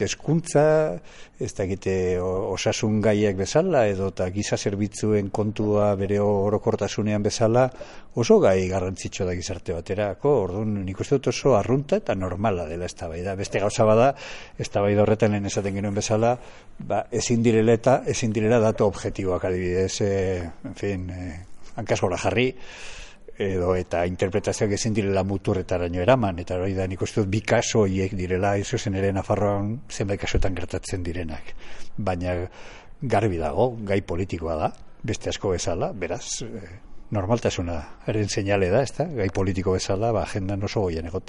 Hezkuntza, ez dakite osasun gaiak bezala, edo eta giza zerbitzuen kontua bere orokortasunean bezala, oso gai garrantzitsua da gizarte baterako. Orduan, nik uste dut oso arrunta eta normala dela eztabaida. Beste gauza bada, eztabaida horretan lehen esaten genuen bezala, ezin direla datu objektiboak adibidez, hankasgora jarri, eta interpretazioak ezin direla muturretaraino eraman, eta hori da nik uste dut bi kaso horiek direla, izuzen ere Nafarroan zenbait kasuetan gertatzen direnak. Baina garbi dago, gai politikoa da, beste asko bezala, beraz, normaltasuna, haren seinale da, ezta? Gai politiko bezala, agendan oso goian egotea.